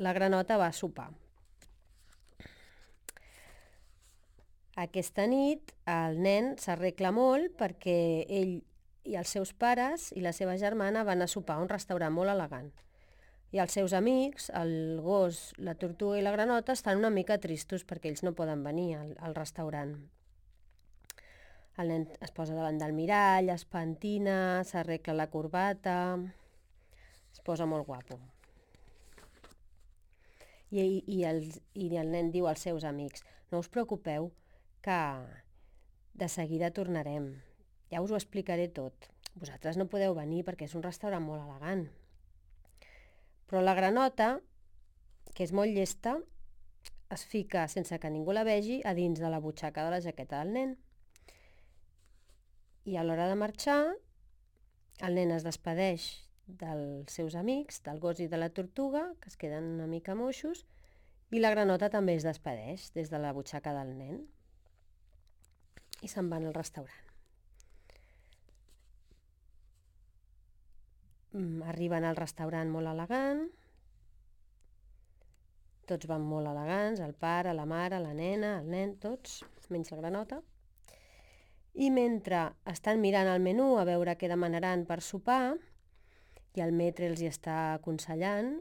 la granota va a sopar. Aquesta nit el nen s'arregla molt perquè ell i els seus pares i la seva germana van a sopar a un restaurant molt elegant. I els seus amics, el gos, la tortuga i la granota, estan una mica tristos perquè ells no poden venir al restaurant. El nen es posa davant del mirall, es pentina, s'arregla la corbata, es posa molt guapo. I el nen diu als seus amics: no us preocupeu, que de seguida tornarem. Ja us ho explicaré tot. Vosaltres no podeu venir perquè és un restaurant molt elegant. Però la granota, que és molt llesta, es fica, sense que ningú la vegi, a dins de la butxaca de la jaqueta del nen. I a l'hora de marxar, el nen es despedeix dels seus amics, del gos i de la tortuga, que es queden una mica moixos, i la granota també es despedeix des de la butxaca del nen. I se'n van al restaurant. Arriben al restaurant molt elegant, tots van molt elegants, el pare, la mare, la nena, el nen, tots, menys la granota. I mentre estan mirant el menú a veure què demanaran per sopar, i el metre els hi està aconsellant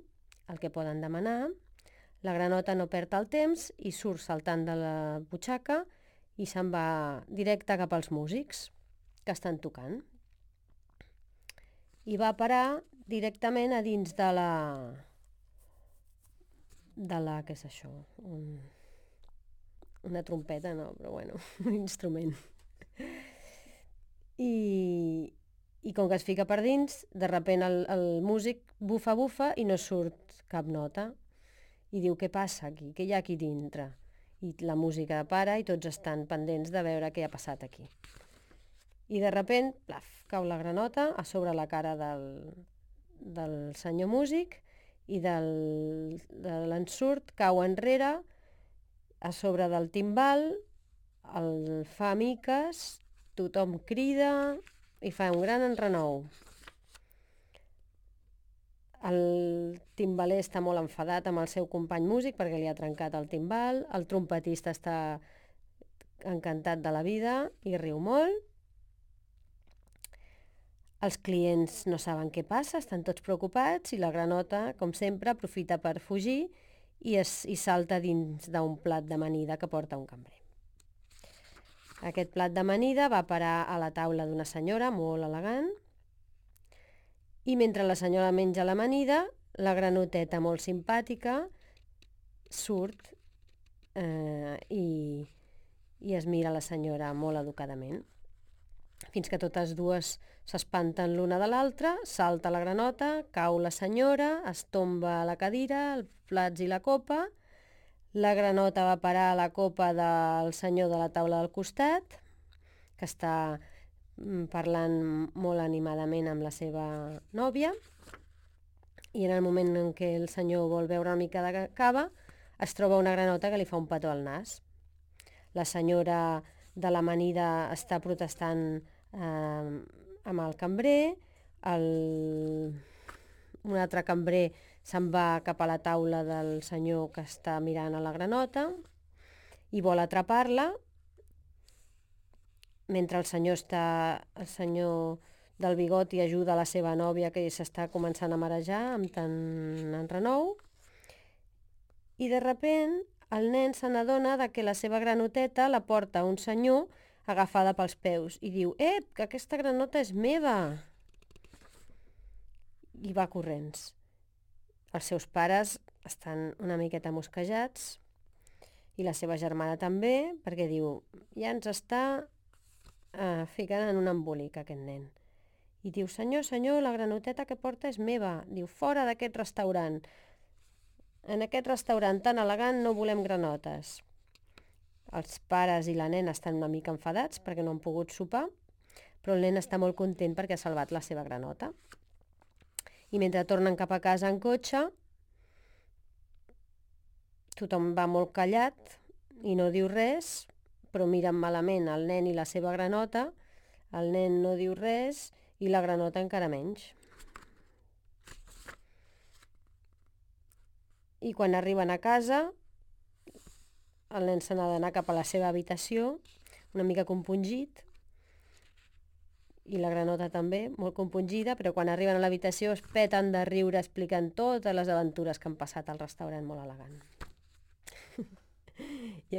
el que poden demanar, la granota no perd el temps i surt saltant de la butxaca i se'n va directe cap als músics que estan tocant. I va parar directament a dins de la... què és això? Una trompeta, no, però bueno, un instrument. I com que es fica per dins, de sobte el músic bufa i no surt cap nota. I diu: què passa aquí? Què hi ha aquí dintre? I la música para i tots estan pendents de veure què ha passat aquí. I de sobte, plaf, cau la granota a sobre la cara del senyor músic i de l'ensurt cau enrere a sobre del timbal, el fa miques, tothom crida i fa un gran enrenou. El timbaler està molt enfadat amb el seu company músic perquè li ha trencat el timbal, el trompetista està encantat de la vida i riu molt. Els clients no saben què passa, estan tots preocupats i la granota, com sempre, aprofita per fugir i salta dins d'un plat d'amanida que porta un cambrer. Aquest plat d'amanida va parar a la taula d'una senyora molt elegant i mentre la senyora menja l'amanida, la granoteta molt simpàtica surt i es mira la senyora molt educadament. Fins que totes dues s'espanten l'una de l'altra, salta la granota, cau la senyora, es tomba a la cadira, els plats i la copa. La granota va parar a la copa del senyor de la taula del costat, que està parlant molt animadament amb la seva nòvia, i en el moment en què el senyor vol beure una mica de cava, es troba una granota que li fa un petó al nas. La senyora de l'amanida està protestant amb el cambrer, un altre cambrer se'n va cap a la taula del senyor que està mirant a la granota i vol atrapar-la, mentre el senyor del bigoti ajuda la seva nòvia que s'està començant a marejar amb tant enrenou, i de sobte el nen se n'adona que la seva granoteta la porta un senyor agafada pels peus i diu: que aquesta granota és meva! I va corrents. Els seus pares estan una miqueta mosquejats i la seva germana també, perquè diu: ja ens està ficant en un embolic aquest nen. I diu: senyor, la granoteta que porta és meva. Diu: fora d'aquest restaurant. En aquest restaurant tan elegant no volem granotes. Els pares i la nena estan una mica enfadats perquè no han pogut sopar, però el nen està molt content perquè ha salvat la seva granota. I mentre tornen cap a casa en cotxe, tothom va molt callat i no diu res, però miren malament el nen i la seva granota. El nen no diu res i la granota encara menys. I quan arriben a casa, el nen se n'ha d'anar cap a la seva habitació, una mica compungit, i la granota també, molt compungida, però quan arriben a l'habitació es peten de riure explicant totes les aventures que han passat al restaurant molt elegant. I